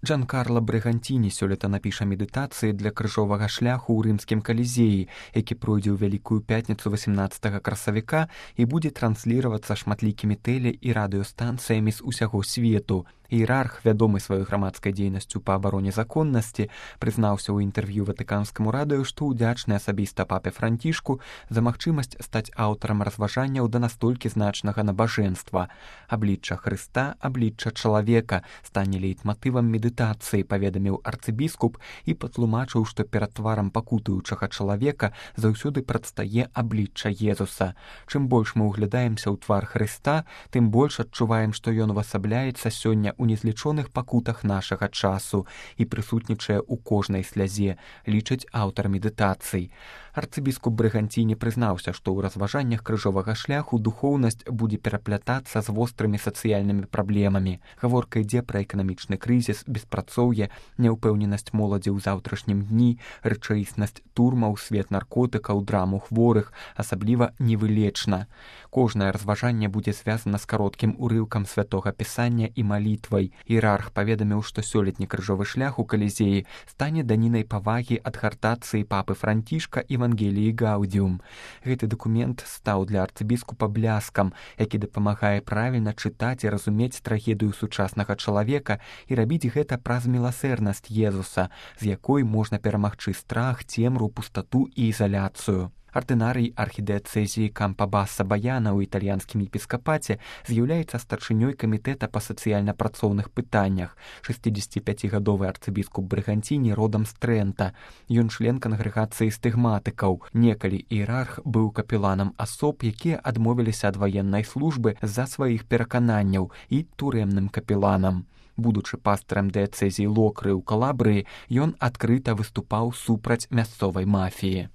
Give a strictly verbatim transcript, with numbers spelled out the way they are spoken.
Джанкарла Брыганціні сёлета напіша медытацыі для крыжовага шляху ў рымскім калізеі, які пройдзе ў Вялікую пятніцу васямнаццатага красавіка і будзе трансліравацца шматлікімі тэле- і радыёстанцыямі з усяго свету. Іерарх, вядомы сваёй грамадскай дзейнасцю па абароне законнасці, прызнаўся ў інтэрв'ю ватыканскаму радыё, што ўдзячны асабіста папе Францішку за магчымасць стаць аўтарам разважанняў да настолькі значнага набажэнства. Аблічча Хрыста, аблічча чалавека стане лейтматывам медытацыі, паведаміў арцыбіскуп і патлумачыў, што перад тварам пакутуючага чалавека заўсёды прадстае аблічча Езуса. Чым больш мы ўглядаемся ў твар Хрыста, тым больш адчуваем, што ён увасабляецца сёння у незлічоных пакутах нашага часу і прысутнічае ў кожнай слязе, лічыць аўтар медытацый. Арцыбіскуп Брыганціні прызнаўся, што ў разважаннях крыжовага шляху духоўнасць будзе пераплятацца з вострымі сацыяльнымі праблемамі. Гаворка ідзе пра эканамічны крызіс, беспрацоўе, няўпэўненасць моладзі ў заўтрашнім дні, рэчаіснасць турмаў, свет наркотыкаў, драму хворых, асабліва невылечна. Кожнае разважанне будзе звязана з кароткім урыўкам святога пісання і малітвай. Іерарх паведаміў, што сёлетні крыжовы шлях у калізеі стане данінай павагі ад гартацыі папы Францішка Евангеліі Гаудіум. Гэты дакумент стаў для арцыбіскупа бляскам, які дапамагае правільна чытаць і разумець трагедыю сучаснага чалавека і рабіць гэта праз міласэрнасць Езуса, з якой можна перамагчы страх, цемру, пустату і ізаляцыю. Ардынарый архідыацэзіі Кампа-Баса Баяна ў італьянскім епіскапаце з'яўляецца старшынёй камітэта па сацыяльна-працоўных пытаннях. шэсцідзесяціпяцігадовы арцыбіскуп Брыганціні родам з Трэнта. Ён член кангрэгацыі стыгматыкаў. Некалі іерарх быў капеланам асоб, якія адмовіліся ад ваеннай службы з-за сваіх перакананняў, і турэмным капеланам. Будучы пастарам дыяцэзіі Локры ў Калабрыі, ён адкрыта выступаў супраць мясцовай мафіі.